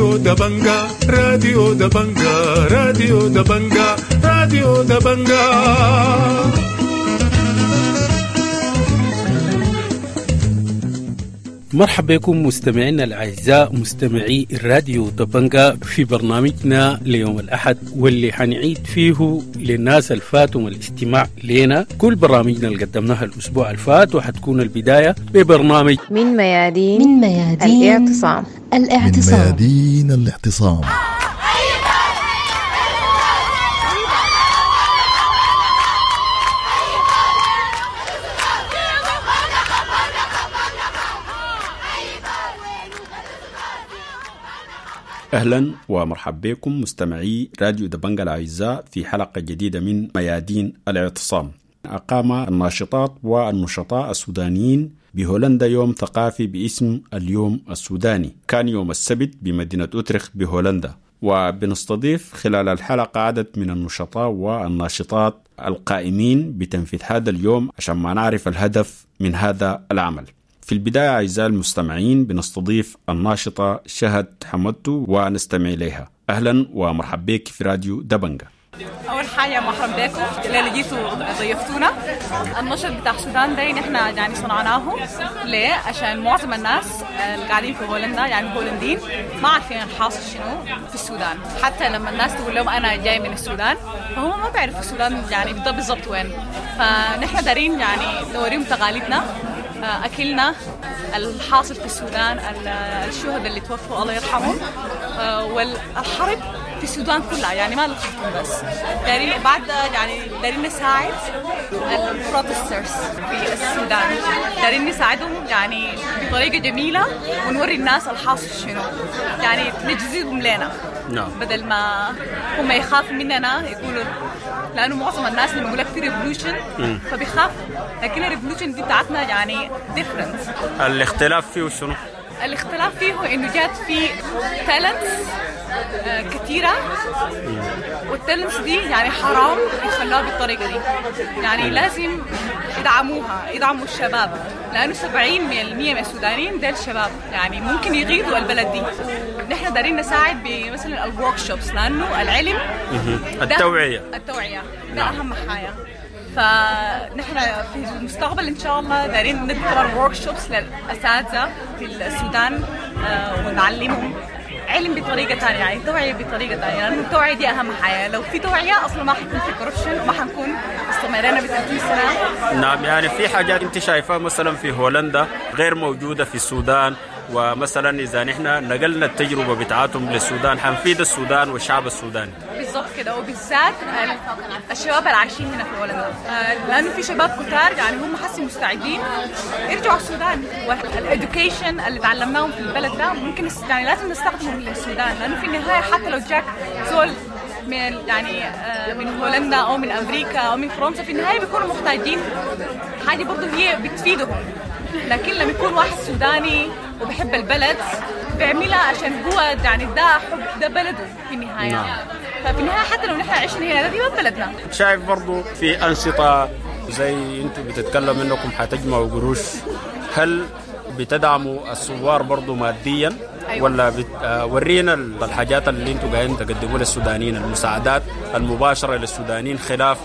راديو دبنجا، راديو دبنجا، راديو دبنجا، راديو دبنجا. مرحبا بكم مستمعينا الأعزاء، مستمعي الراديو دبنجا، في برنامجنا ليوم الأحد واللي حنعيد فيه للناس الفاتهم الاستماع لنا كل برامجنا اللي قدمناها الأسبوع الفات، وحتكون البداية ببرنامج من ميادين الاعتصام. من ميادين الاعتصام. أهلا ومرحبا بكم مستمعي راديو دبنجا الأعزاء في حلقة جديدة من ميادين الاعتصام. أقام الناشطات والنشطاء السودانيين بهولندا يوم ثقافي باسم اليوم السوداني، كان يوم السبت بمدينة أوتريخت بهولندا، وبنستضيف خلال الحلقة عدد من النشطاء والناشطات القائمين بتنفيذ هذا اليوم عشان ما نعرف الهدف من هذا العمل. في البداية أعزائي المستمعين بنستضيف الناشطة شهد حمدتو ونستمع إليها. أهلا ومرحبا بك في راديو دبنجا. أول حاجة مرحبا بكم اللي جيتوا ضيفتونا. النشط بتاع السودان ده نحن يعني صنعناه ليه؟ عشان معظم الناس اللي قاعدين في هولندا، يعني الهولنديين، ما عارفين الحاصل شنو في السودان. حتى لما الناس تقول لهم أنا جاي من السودان فهم ما بيعرفوا السودان يعني بالضبط وين. فنحن دارين يعني نوريهم تقاليدنا، أكلنا، الحاصل في السودان، الشهداء اللي توفوا الله يرحمهم، والحرب في السودان كلها، يعني ما الخرطوم بس. دارين بعد يعني دارين نساعد ال protesters في السودان، دارين نساعدهم يعني بطريقة جميلة ونوري الناس الحاصل شنو، يعني نجذبهم لنا. نعم. بدل ما هم يخافوا مننا يقولوا، لأنه معظم الناس لما يقول لك في revolution فبيخافوا، لكن ال revolution دي بتاعتنا يعني different. الاختلاف فيه شنو؟ الاختلاف فيه إنه جات في talents كثيرة، وال talents دي يعني حرام يخلوها بالطريقة دي، يعني لازم يدعموها، يدعموا الشباب، لأنه 70% من السودانيين ديل شباب، يعني ممكن يغيدوا البلد دي. نحن دارين نساعد بمثلا ال workshops، لأنه العلم التوعية ده أهم حاجة. فنحن في المستقبل إن شاء الله دارين ندي workshops للأساتذة في السودان ونعلمهم علم بطريقة ثانية، يعني توعية بطريقة ثانية، لأنه التوعية دي أهم حاجة. لو في توعية أصلا ما حيكون في corruption وما حنكون استمرينا ب 30 سنة. نعم، يعني في حاجات أنت شايفاها مثلا في هولندا غير موجودة في السودان، ومثلا إذا نحن نقلنا التجربة بتاعتهم للسودان حنفيد السودان والشعب السوداني. بالضبط كده، وبالذات الشباب اللي عايشين هنا في هولندا، لأنه في شباب كتار يعني هم حسي مستعدين يرجعوا السودان، وال education اللي تعلمناهم في البلد ده ممكن يعني لازم نستخدمه للسودان، لأنه في النهاية حتى لو جاك زول من يعني من هولندا أو من أمريكا أو من فرنسا، في النهاية بيكونوا محتاجين حاجة برضو هي بتفيدهم. لكن لما يكون واحد سوداني وبحب البلد بيعملها عشان هو يعني ده حب، ده بلده في النهاية. نعم. ففي النهاية حتى لو نحن عشنا هنا دي ما بلدنا. شايف برضو في أنشطة زي انتوا بتتكلم انكم حتجمعوا قروش، هل بتدعموا الثوار برضو ماديا؟ أيوة. ولا ورينا الحاجات اللي انتوا قاعدين تقدموا للسودانيين، المساعدات المباشرة للسودانيين خلاف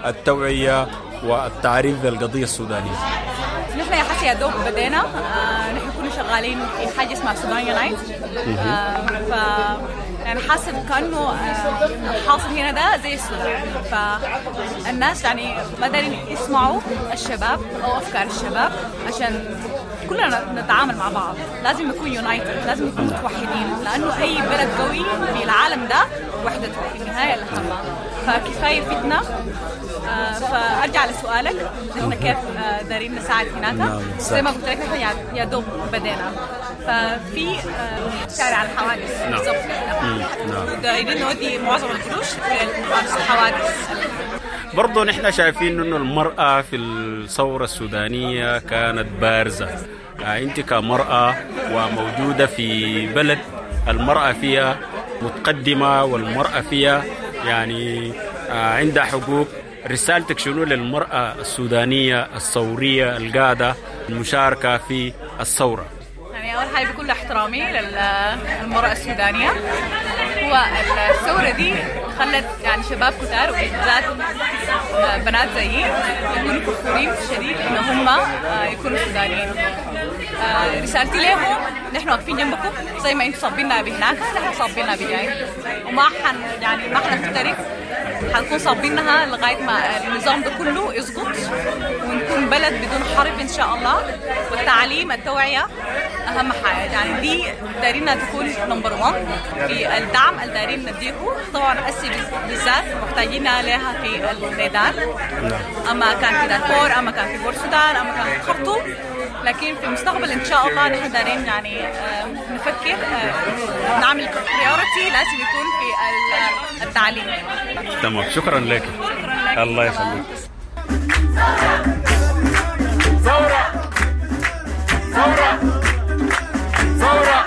التوعية والتعريف بالقضية السودانية. نحن يا حسي يا دوب بدينا، نحن كنا شغالين في حاجة اسمها Sudan Unite، ف يعني حاسة كأنه الحاصل هنا ده زي السودان، فالناس يعني ما دارين يسمعوا الشباب أو أفكار الشباب، عشان كلنا نتعامل مع بعض. لازم نكون united، لازم نكون متوحدين، لأنه أي بلد قوي في العالم ده وحدته في النهاية الأهم. فكفاية فتنة. فأرجع لسؤالك، نحن كيف دارين نساعد هناك؟ زي ما قلت لك نحن يا دوب بدينا، ففي شارع الحوادث بالضبط. نعم. دايرين نودي معظم القروش للحوادث. برضو نحن شايفين إنه المرأة في الثورة السودانية كانت بارزة. أنت كمرأة وموجودة في بلد المرأة فيها متقدمة والمرأة فيها يعني عندها حقوق، رسالتك شنو للمرأة السودانية الثورية القادة المشاركة في الثورة؟ يعني أول حاجة بكل كل احترامي للمرأة السودانية. هو الثورة دي خلت يعني شباب كتار وبالذات بنات زيي يكونوا فخورين شديد إن هم يكونوا سودانيين. رسالتي لهم نحن واقفين جنبكم زي ما انتم صابيننا بهناك، نحن صابيننا بجاي، وما حن يعني ما حنفترق، حنكون صابينها لغاية ما النظام ده كله يسقط ونكون بلد بدون حرب إن شاء الله. والتعليم التوعية أهم حاجة، يعني دي دارينا تكون number 1 في الدعم اللي دارين نديه. طبعا أسي بالذات محتاجين لها في الميدان، أما كان في دارفور، أما كان في بورسودان، أما كان في خرطوم، لكن في المستقبل إن شاء الله نحن دارين يعني نفكر نعمل priority لازم يكون في التعليم. تمام، شكرا لك. شكرا لك، الله يخليك. ثورة ثورة ثورة.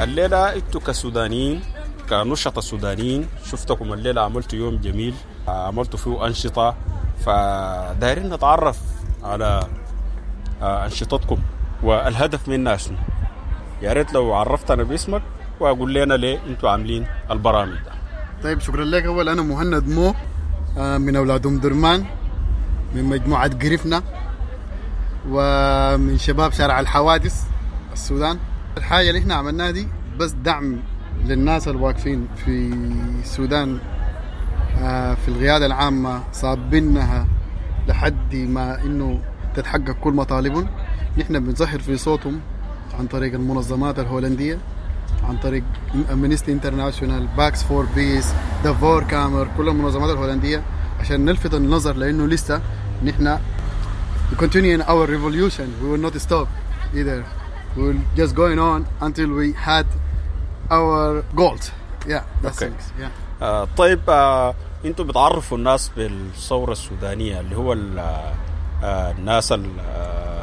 الليلة انتوا كسودانيين، كنشطة سودانيين، شفتكم الليلة عملتوا يوم جميل، عملتوا فيه أنشطة، فدايرين نتعرف على أنشطتكم والهدف منها شنو. يا ريت لو عرفتنا باسمك وأقول لنا ليه انتوا عاملين البرامج ده. طيب شكرا لك. أول أنا مهند مو، من أولاد أم درمان، من مجموعة قرفنا، ومن شباب شارع الحوادث السودان. الحاجة اللي احنا عملناها دي بس دعم للناس الواقفين في السودان، في القيادة العامة، صابينها لحد ما إنه تتحقق كل مطالبهم. نحن بنظهر في صوتهم عن طريق المنظمات الهولندية، عن طريق Amnesty International، Pax for Peace، De Voorkamer، كل المنظمات الهولندية، عشان نلفت النظر لأنه لسه نحن we continue in our revolution, we will not stop either, we will just going on until we had our goals. Yeah, that's okay. Things. Yeah. طيب انتوا بتعرفوا الناس بالثورة السودانية اللي هو الناس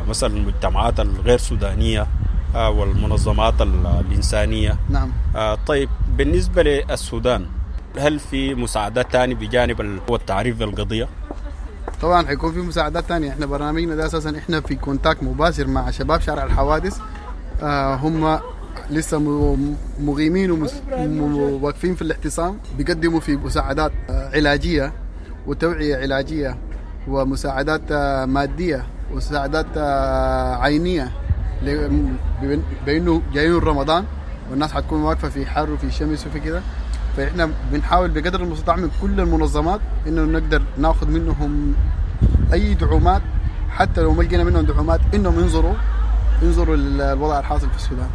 مثلا المجتمعات الغير سودانية والمنظمات الإنسانية. نعم. طيب بالنسبة للسودان، هل في مساعدات تاني بجانب التعريف بالقضية؟ طبعا حيكون في مساعدات تانية. احنا برنامجنا ده اساسا احنا في contact مباشر مع شباب شارع الحوادث، هم لسه مقيمين وواقفين في الاعتصام، بيقدموا في مساعدات علاجية وتوعية علاجية ومساعدات مادية ومساعدات عينية، بأنه جايين رمضان والناس حتكون واقفة في حر وفي شمس وفي كده. فإحنا بنحاول بقدر المستطاع من كل المنظمات إنه نقدر ناخذ منهم أي دعومات، حتى لو ما لقينا منهم دعومات إنهم ينظروا للوضع الحاصل في السودان.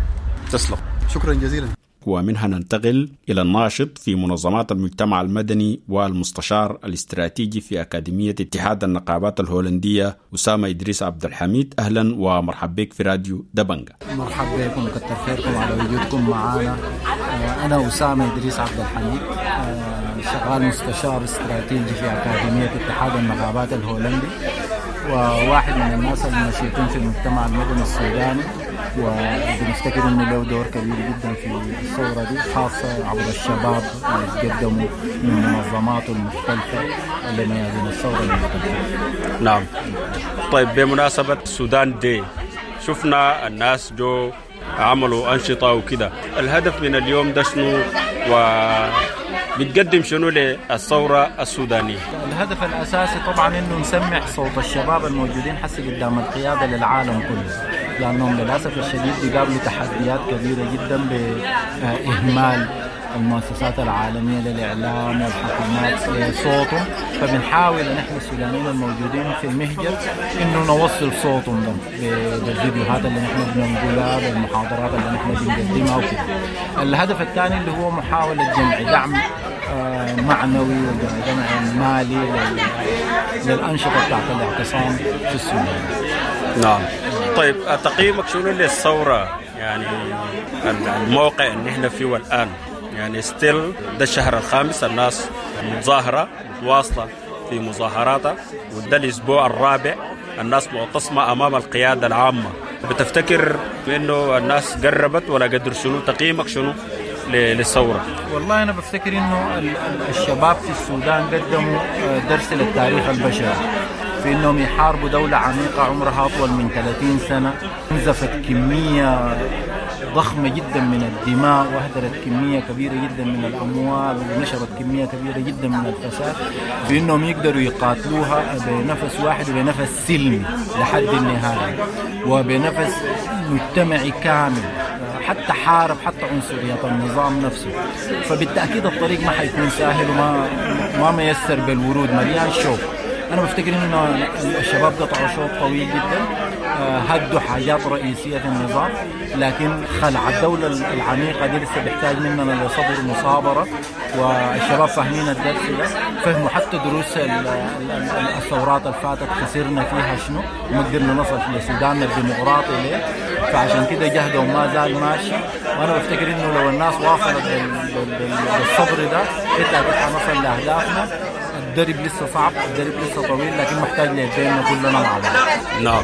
تسلم. شكرا جزيلا. ومنها ننتقل إلى الناشط في منظمات المجتمع المدني والمستشار الاستراتيجي في أكاديمية اتحاد النقابات الهولندية أسامة إدريس عبد الحميد. أهلا ومرحب بك في راديو دبنجة. مرحب بكم وكتر خيركم على وجودكم معنا. أنا أسامة إدريس عبد الحميد، شغال مستشار استراتيجي في أكاديمية اتحاد النقابات الهولندي، وواحد من الناس النشيطين في المجتمع المدني السوداني، وبنفتكر انه له دور كبير جدا في الثورة دي، خاصة عبر الشباب اللي قدموا من منظماته المختلفة لميادين الثورة المختلفة. نعم. طيب بمناسبة السودان دي، شفنا الناس جو عملوا أنشطة وكده، الهدف من اليوم ده شنو وبتقدم شنو للثورة السودانية؟ الهدف الأساسي طبعا انه نسمع صوت الشباب الموجودين حسي قدام القيادة للعالم كله، لأنهم للأسف الشديد بيقابلوا تحديات كبيرة جدا بإهمال المؤسسات العالمية للإعلام والحكومات صوتهم. فبنحاول نحن السودانيين الموجودين في المهجر إنه نوصل صوتهم ده بالفيديوهات اللي نحن بننقلها، بالمحاضرات اللي نحن بنقدمها وكده. الهدف الثاني اللي هو محاولة جمع دعم معنوي وجمع مالي للأنشطة بتاعت الاعتصام في السودان. نعم. طيب تقييمك شنو للثورة، يعني الموقع اللي احنا فيه الآن؟ يعني ستيل ده الشهر الخامس الناس متظاهرة متواصلة في مظاهراتها، وده الأسبوع الرابع الناس معتصمة أمام القيادة العامة. بتفتكر إنه الناس قربت ولا قدر شنو؟ تقييمك شنو للثورة؟ والله أنا بفتكر إنه الشباب في السودان قدموا درس للتاريخ البشري. في إنهم يحاربوا دولة عميقة عمرها أطول من 30 سنة، نزفت كمية ضخمة جدا من الدماء، وأهدرت كمية كبيرة جدا من الأموال، ونشرت كمية كبيرة جدا من الفساد، بأنهم يقدروا يقاتلوها بنفس واحد وبنفس سلمي لحد النهاية، وبنفس مجتمعي كامل، حتى حارب حتى عنصرية النظام نفسه. فبالتأكيد الطريق ما حيكون سهل وما ما ميسر بالورود، مليان شوك. أنا بفتكر إنه الشباب قطعوا شوط طويل جدا، هدوا حاجات رئيسية في النظام، لكن خلع الدولة العميقة دي لسه بيحتاج مننا لصبر ومصابرة. والشباب فاهمين الدرس ده، فهموا حتى دروس الثورات اللي فاتت خسرنا فيها شنو وما قدرنا نصل لسوداننا الديمقراطي ليه. فعشان كده جهدهم ما زال ماشي، وأنا بفتكر إنه لو الناس واصلت بالصبر ده بالتأكيد حنصل لأهدافنا. الدرب لسه صعب، الدرب لسه طويل، لكن محتاج ليدينا كلنا مع بعض. نعم.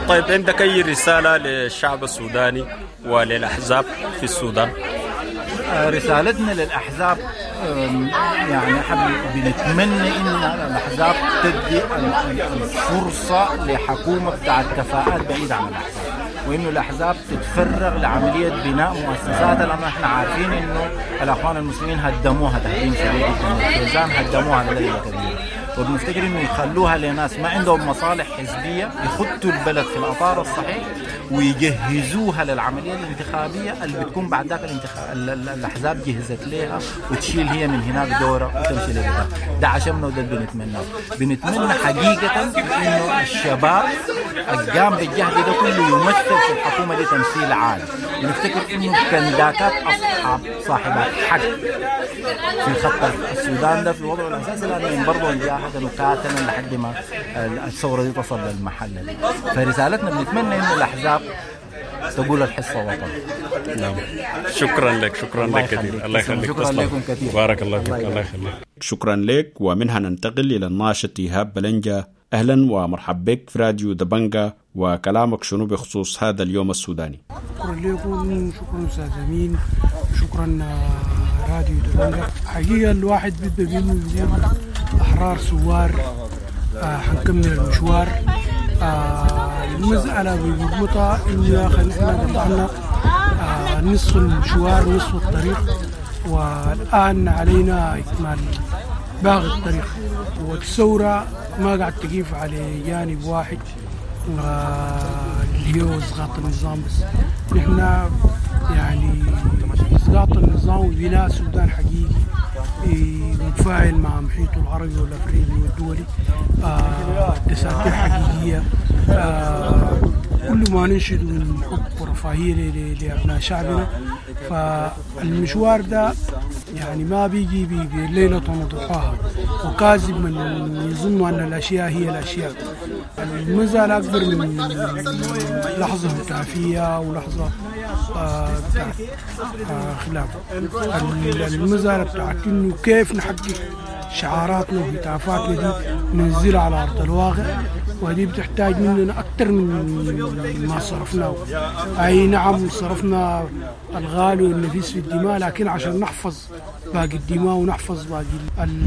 طيب، عندك أي رسالة للشعب السوداني وللأحزاب في السودان؟ رسالتنا للأحزاب، يعني بنتمنى إن الأحزاب تدي الفرصة لحكومة بتاعت كفاءات بعيدة عن الأحزاب، وإنه الأحزاب تتفرغ لعملية بناء مؤسساتها، لأنه إحنا عارفين إنه الأخوان المسلمين هدموها تهديم شديد جدا، الكيزان هدموها لدرجة كبيرة، وبنفتكر إنه يخلوها لناس ما عندهم مصالح حزبية، يخطوا البلد في الأطار الصحيح ويجهزوها للعملية الانتخابية اللي بتكون بعد ذاك الأحزاب جهزت لها وتشيل هي من هناك دورة وتمشي لقدام. ده عشمنا وده اللي بنتمناه. بنتمنى حقيقة إنه الشباب القام بالجهد ده كله يمثل في الحكومة دي تمثيل عالي. بنفتكر إنه كنداكات أصحاب صاحبات حق في خط السودان ده في الوضع الأساسي، لأنهم برضه جاهدوا وقاتلوا لحد ما الثورة دي تصل للمحل ده. فرسالتنا بنتمنى إنه الأحزاب تقول الحصة وطن. نعم، شكرا لك، شكرا لك كثير، الله يخليك، شكرا لكم كثير، بارك الله فيك، الله يخليك، شكرا لك. ومنها ننتقل إلى الناشط إيهاب بلنجة. أهلا ومرحبا بك في راديو دبنجة، وكلامك شنو بخصوص هذا اليوم السوداني؟ شكرا لكم، شكرا أستاذ أمين، شكرا راديو دبنجة. حقيقة الواحد بيبقى بينه يقول أحرار ثوار، حنكمل المشوار. المسألة بمربوطة إنه يا أخي نحن قطعنا نصف المشوار، نصف الطريق، والآن علينا إكمال باقي الطريق. والثورة ما قاعد تقيف على جانب واحد اللي هو إسقاط النظام بس، نحن يعني إسقاط النظام وبناء سودان حقيقي متفاعل مع محيطه العربي والأفريقي والدولي، دساتير حقيقية، كل ما ننشد من حب ورفاهية لأبناء شعبنا. فالمشوار ده يعني ما بيجي بليلة وضحاها، وكاذب من يظن أن الأشياء هي الأشياء. المزال أكبر من لحظة هتافية ولحظة بتاعت خلاف. المزالة بتاعت إنه كيف نحقق شعاراتنا وهتافاتنا دي ننزلها على أرض الواقع، وهذه بتحتاج مننا أكثر من ما صرفناه. أي نعم صرفنا الغالي والنفيس في الدماء، لكن عشان نحفظ باقي الدماء ونحفظ باقي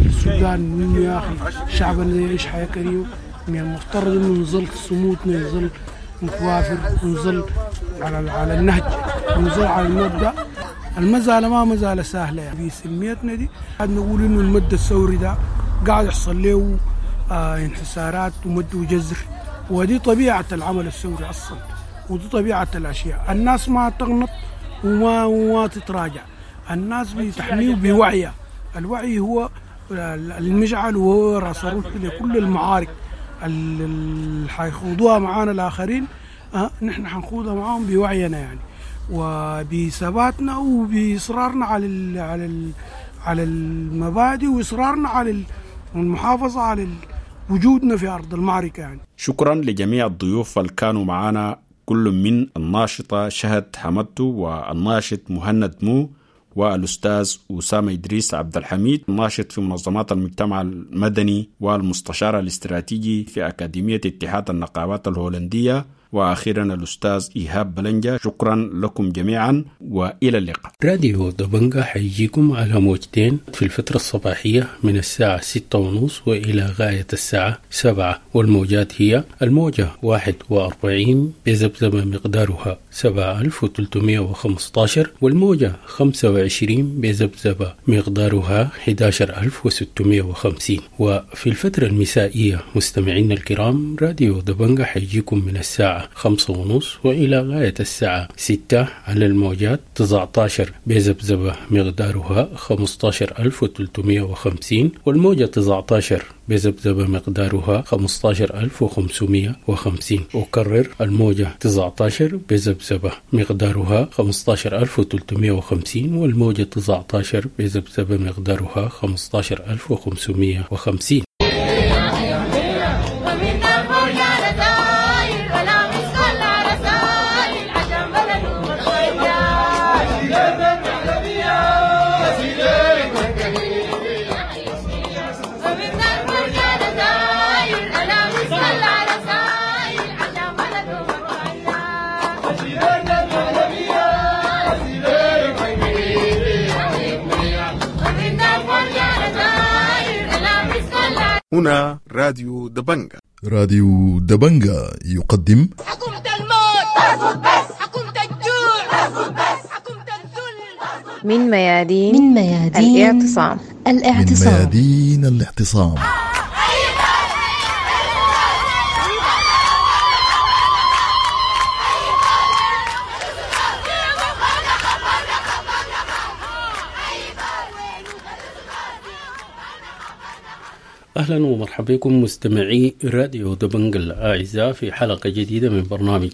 السودان منه يا أخي شعبنا يعيش حياة كريمة، من المفترض إنه نظل صمودنا، نظل متوافر، ونظل على النهج، ونظل على المبدأ. المزالة ما مزالة سهلة يعني. بسميتنا دي قاعد نقول إنه المد الثوري ده قاعد يحصل له انحسارات ومد وجزر، ودي طبيعة العمل الثوري أصلا، ودي طبيعة الأشياء. الناس ما تغنط وما تتراجع، الناس بتحميه بوعيه. الوعي هو المجعل وهو راس الرمح لكل المعارك اللي حيخوضوها معانا الآخرين. نحن حنخوضها معاهم بوعينا يعني، وبثباتنا وبإصرارنا على على المبادئ، وإصرارنا على المحافظة على وجودنا في أرض المعركة يعني. شكرا لجميع الضيوف اللي كانوا معنا، كل من الناشطة شهد حمدتو والناشط مهند مو والأستاذ أسامة إدريس عبد الحميد الناشط في منظمات المجتمع المدني والمستشار الاستراتيجي في أكاديمية اتحاد النقابات الهولندية، وأخيرا الأستاذ إيهاب بلنجة. شكرا لكم جميعا وإلى اللقاء. راديو دبنجة حيجيكم على موجتين في الفترة الصباحية من الساعة 6:30 وإلى غاية الساعة 7، والموجات هي الموجة 41 بذبذبة مقدارها 7315، والموجة 25 بذبذبة مقدارها 11650. وفي الفترة المسائية مستمعينا الكرام راديو دبنجة حيجيكم من الساعة 5:30 وإلى غاية الساعة 6 على الموجات 19 بذبذبة مقدارها 15350، والموجة 19 بذبذبة مقدارها 15550. أكرر، الموجة 19 بذبذبة مقدارها 15350، والموجة 19 بذبذبة مقدارها 15550. هنا راديو دبنجة. راديو دبنجة يقدم حكومة الموت اسكت بس، حكومة الجوع اسكت بس، حكومة الذل. من ميادين الاعتصام. من ميادين الاعتصام. أهلا ومرحبا بكم مستمعي راديو دبنجة الأعزاء في حلقة جديدة من برنامج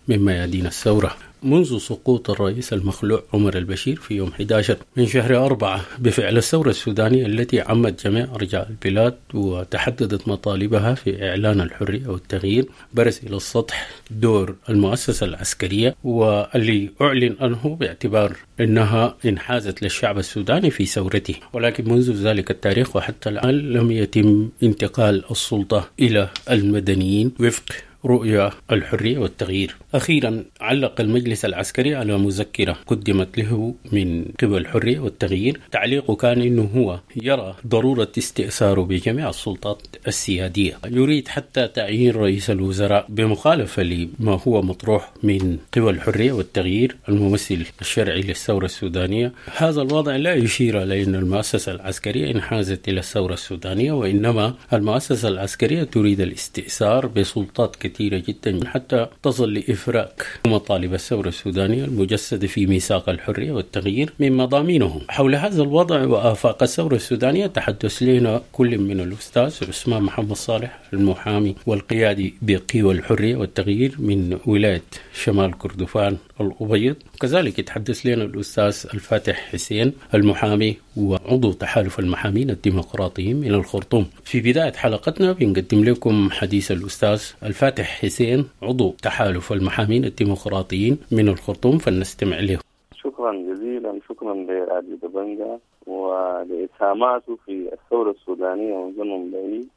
من ميادين الثورة. منذ سقوط الرئيس المخلوع عمر البشير في يوم 11 من شهر 4 بفعل الثورة السودانية التي عمت جميع أرجاء البلاد وتحددت مطالبها في إعلان الحرية والتغيير، برز إلى السطح دور المؤسسة العسكرية واللي أعلن عنه باعتبار أنها انحازت للشعب السوداني في ثورته، ولكن منذ ذلك التاريخ وحتى الآن لم يتم انتقال السلطة إلى المدنيين وفق رؤية الحرية والتغيير. أخيرا علق المجلس العسكري على مذكرة قدمت له من قبل الحرية والتغيير، تعليقه كان أنه هو يرى ضرورة استئثاره بجميع السلطات السيادية، يريد حتى تعيين رئيس الوزراء بمخالفة لما هو مطروح من قبل الحرية والتغيير الممثل الشرعي للثورة السودانية. هذا الوضع لا يشير إلى أن المؤسسة العسكرية انحازت إلى الثورة السودانية، وإنما المؤسسة العسكرية تريد الاستئثار بسلطات كثيرة جدا حتى تصل لإفراك مطالب الثورة السودانية المجسدة في ميثاق الحرية والتغيير من مضامينه. حول هذا الوضع وآفاق الثورة السودانية تحدث لنا كل من الأستاذ عثمان محمد صالح المحامي والقيادي بقوى الحرية والتغيير من ولاية شمال كردفان الأبيض، وكذلك يتحدث لنا الأستاذ الفاتح حسين المحامي وعضو تحالف المحامين الديمقراطيين من الخرطوم. في بداية حلقتنا بنقدم لكم حديث الأستاذ الفاتح حسين عضو تحالف المحامين الديمقراطيين من الخرطوم، فلنستمع له. شكرا جزيلا، شكرا لراديو دبنجة ولإسهاماته في الثورة السودانية منذ زمن بعيد.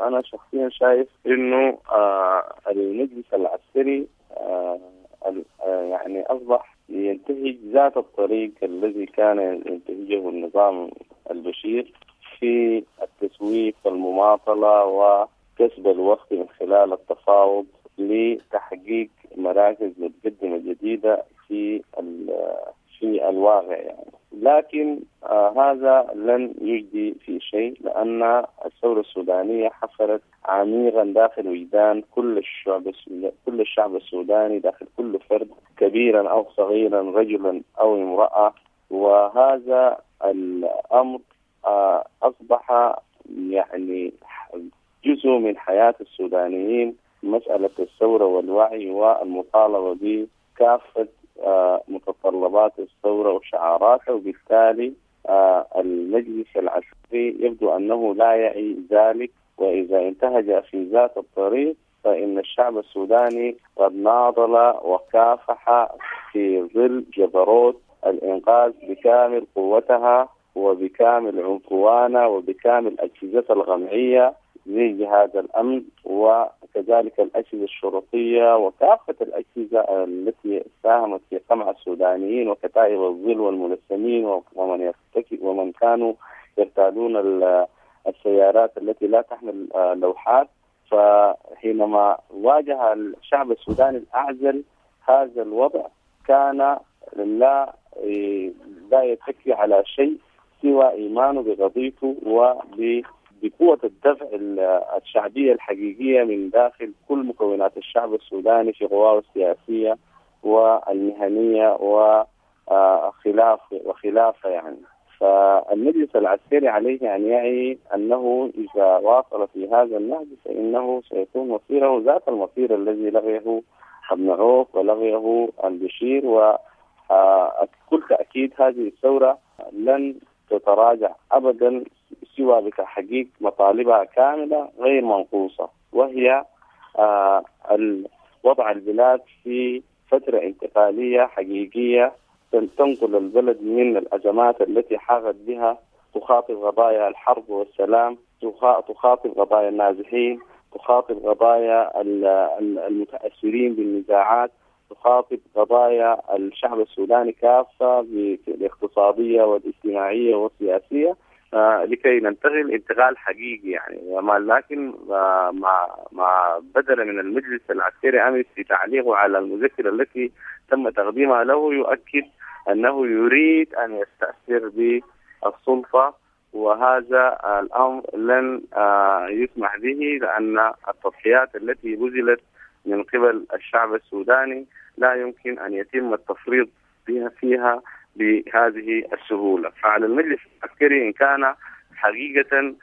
أنا شخصيا شايف إنه المجلس العسكري يعني أصبح ينتهج ذات الطريق الذي كان ينتهجه النظام البشير في التسويف والمماطلة وكسب الوقت من خلال التفاوض لتحقيق مراكز متقدمة جديدة في الواقع يعني. لكن هذا لن يجدي في شيء، لأن الثورة السودانية حفرت عميقا داخل وجدان كل الشعب السوداني، داخل كل فرد كبيرا أو صغيرا، رجلا أو امرأة. وهذا الأمر أصبح يعني جزء من حياة السودانيين، مسألة الثورة والوعي والمطالبة بكافة متطلبات الثورة وشعاراتها. وبالتالي المجلس العسكري يبدو أنه لا يعي ذلك، وإذا انتهج في ذات الطريق فإن الشعب السوداني قد ناضل وكافح في ظل جبروت الإنقاذ بكامل قوتها وبكامل عنفوانها وبكامل أجهزتها الغمعية زي جهاز الأمن وكافة وكذلك الأجهزة الشرطية وكافة الأجهزة التي ساهمت في قمع السودانيين وكتائب الظل والملثمين ومن كانوا يرتادون السيارات التي لا تحمل لوحات. فحينما واجه الشعب السوداني الأعزل هذا الوضع كان لا يتكي على شيء سوى إيمانه بقضيته وبقوة الدفع الشعبية الحقيقية من داخل كل مكونات الشعب السوداني في قواه السياسية والمهنية وخلافة يعني. فالمجلس العسكري عليه أن يعي أنه إذا واصل في هذا النهج فإنه سيكون مصيره ذات المصير الذي لغيه ابن عوف ولغيه البشير، وكل تأكيد هذه الثورة لن تتراجع أبدا سوى بتحقيق مطالبها كاملة غير منقوصة، وهي وضع البلاد في فترة انتقالية حقيقية تنقل البلد من الأزمات التي حاغت بها، تخاطب قضايا الحرب والسلام، تخاطب قضايا النازحين، تخاطب قضايا المتأثرين بالنزاعات، تخاطب قضايا الشعب السوداني كافة بالاقتصادية والاجتماعية والسياسية، لكي ننتقل انتقال حقيقي يعني. لكن مع بدل من المجلس العسكري أمس في تعليقه على المذكرة التي تم تقديمها له يؤكد أنه يريد أن يستأثر بالسلطة، وهذا الأمر لن يسمح به، لأن التضحيات التي بذلت من قبل الشعب السوداني لا يمكن أن يتم التفريط فيها بهذه السهولة. فعلى المجلس العسكري إن كان حقيقة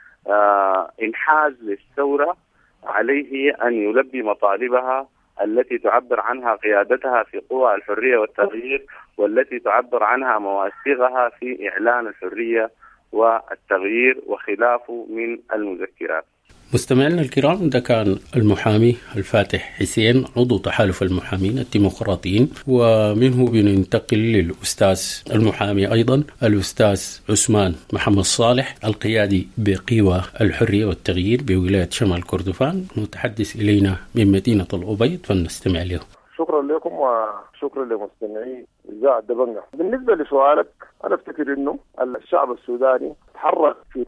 انحاز للثورة عليه أن يلبي مطالبها التي تعبر عنها قيادتها في قوى الحرية والتغيير، والتي تعبر عنها مواثيقها في إعلان الحرية والتغيير وخلافه من المذكرات. مستمعينا الكرام، ده كان المحامي الفاتح حسين عضو تحالف المحامين الديمقراطيين، ومنه بننتقل للأستاذ المحامي أيضا الأستاذ عثمان محمد صالح القيادي بقوى الحرية والتغيير بولاية شمال كردفان، متحدث إلينا من مدينة الأبيض، فلنستمع له. شكرا لكم وشكرا لمستمعي إذاعة دبنجة. بالنسبة لسؤالك، أنا أفتكر أنه الشعب السوداني تحرك في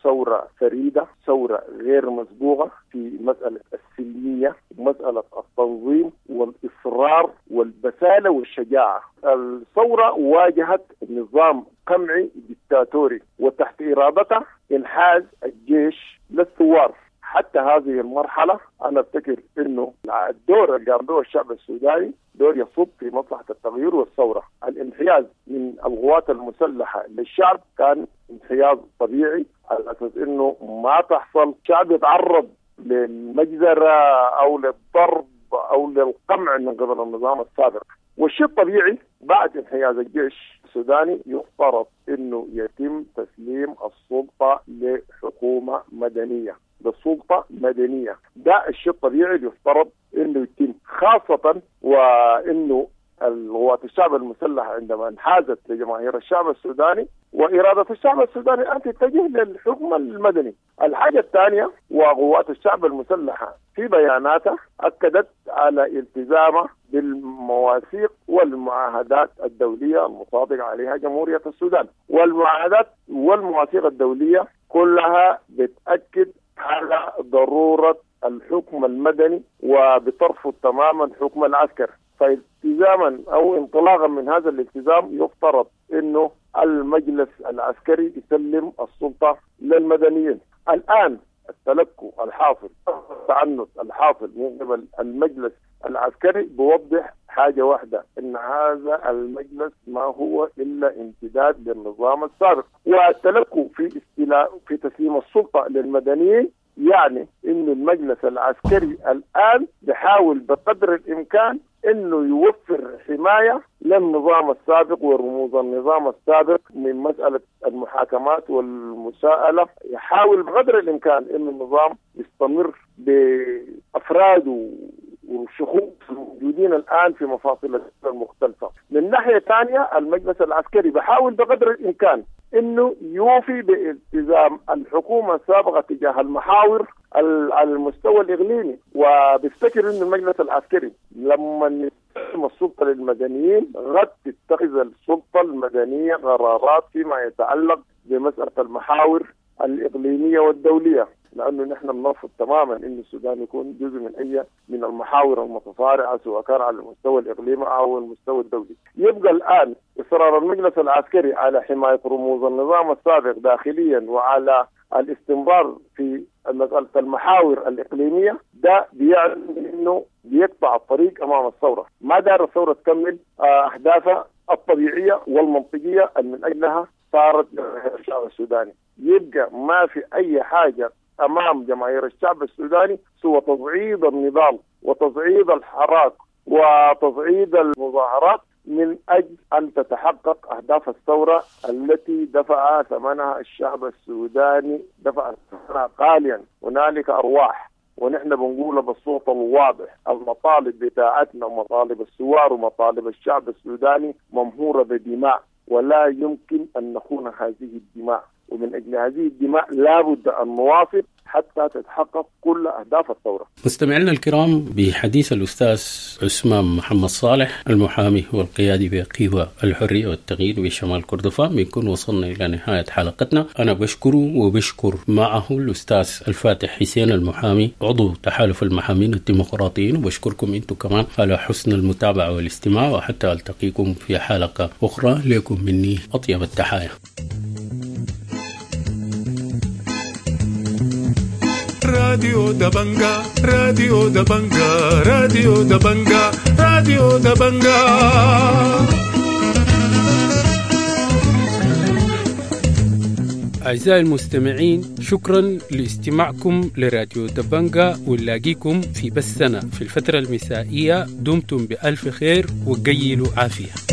ثورة فريدة، ثورة غير مسبوقة في مسألة السلمية، مسألة التنظيم والإصرار والبسالة والشجاعة. الثورة واجهت نظام قمعي ديكتاتوري، وتحت إرادته انحاز الجيش للثوار. حتى هذه المرحلة أنا أفتكر أنه الدور اللي قام به الشعب السوداني دور يصب في مصلحة التغيير والثورة. الانحياز من القوات المسلحة للشعب كان انحياز طبيعي، على أساس أنه ما تحصل شعب يتعرض للمجزرة أو للضرب أو للقمع من قبل النظام السابق. والشيء الطبيعي بعد انحياز الجيش السوداني يفترض أنه يتم تسليم السلطة لحكومة مدنية، للسلطة مدنية. ده الشيء الطبيعي اللي يفترض انه يتم، خاصة وانه القوات الشعب المسلحة عندما انحازت لجماهير الشعب السوداني وإرادة الشعب السوداني أن تتجه للحكم المدني. الحاجة الثانية، وقوات الشعب المسلحة في بياناتها أكدت على التزامها بالمواثيق والمعاهدات الدولية المصادق عليها جمهورية السودان، والمعاهدات والمواثيق الدولية كلها بتأكد على ضرورة الحكم المدني وبترفض تماما حكم العسكر. فالتزاما أو انطلاقا من هذا الالتزام يفترض أنه المجلس العسكري يسلم السلطة للمدنيين. الآن التلكؤ الحاصل، التعنت الحاصل من قبل المجلس العسكري بوضح حاجة واحدة، إن هذا المجلس ما هو إلا امتداد للنظام السابق. والتلكؤ في تسليم السلطة للمدنيين يعني إن المجلس العسكري الآن بحاول بقدر الإمكان إنه يوفر حماية للنظام السابق ورموز النظام السابق من مسألة المحاكمات والمساءلة. يحاول بقدر الإمكان إن النظام يستمر بأفراده والشخوص الموجودين الآن في مفاصل المختلفة. من ناحية ثانية المجلس العسكري بحاول بقدر الإمكان إنه يوفي بالتزام الحكومة السابقة تجاه المحاور على المستوى الإقليمي، وبيفتكر إنه المجلس العسكري لما يسلم السلطة للمدنيين قد تتخذ السلطة المدنية قرارات فيما يتعلق بمسألة المحاور الإقليمية والدولية، لأنه نحن بنرفض تماما أن السودان يكون جزء من أي من المحاور المتصارعة سواء كان على المستوى الإقليمي أو المستوى الدولي. يبقى الآن إصرار المجلس العسكري على حماية رموز النظام السابق داخليا وعلى الاستمرار في مسألة المحاور الإقليمية ده بيعني أنه بيقطع الطريق أمام الثورة. ما دار الثورة تكمل أهدافها الطبيعية والمنطقية من أجلها صارت الشعب السوداني. يبقى ما في أي حاجة أمام جماهير الشعب السوداني سوى تصعيد النضال وتصعيد الحراك وتصعيد المظاهرات من أجل أن تتحقق أهداف الثورة التي دفع ثمنها الشعب السوداني، دفع ثمنها غاليا. هنالك أرواح، ونحن بنقول بالصوت الواضح المطالب بتاعتنا ومطالب الثوار ومطالب الشعب السوداني ممهورة بدماء، ولا يمكن أن نخون هذه الدماء، ومن أجل هذه الدماء لا بد أن نواصل حتى تتحقق كل أهداف الثورة. مستمعينا الكرام، بحديث الأستاذ عثمان محمد صالح المحامي والقيادي بقوى الحرية والتغيير بشمال كردفان بنكون وصلنا إلى نهاية حلقتنا. أنا بشكره وبشكر معه الأستاذ الفاتح حسين المحامي عضو تحالف المحامين الديمقراطيين، وبشكركم أنتم كمان على حسن المتابعة والاستماع، وحتى ألتقيكم في حلقة أخرى. لكم مني أطيب التحايا. راديو دبنجا، راديو دبنجا، راديو دبنجا، راديو دبنجا. أعزائي المستمعين، شكرا لاستماعكم لراديو دبنجا، ونلاقيكم في بثنا في الفترة المسائية. دمتم بألف خير وقيلوا عافية.